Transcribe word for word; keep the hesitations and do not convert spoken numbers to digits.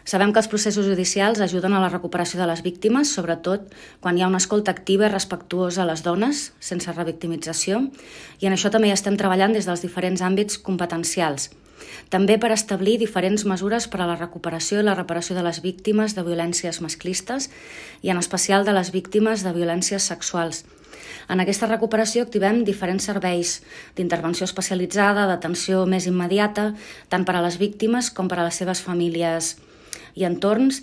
Sabem que els processos judicials ajuden a la recuperació de les víctimes, sobretot quan hi ha una escolta activa i respectuosa a les dones, sense revictimització, i en això també hi estem treballant des dels diferents àmbits competencials. També per establir diferents mesures per a la recuperació i la reparació de les víctimes de violències masclistes i en especial de les víctimes de violències sexuals. En aquesta recuperació activem diferents serveis d'intervenció especialitzada, d'atenció més immediata, tant per a les víctimes com per a les seves famílies i entorns,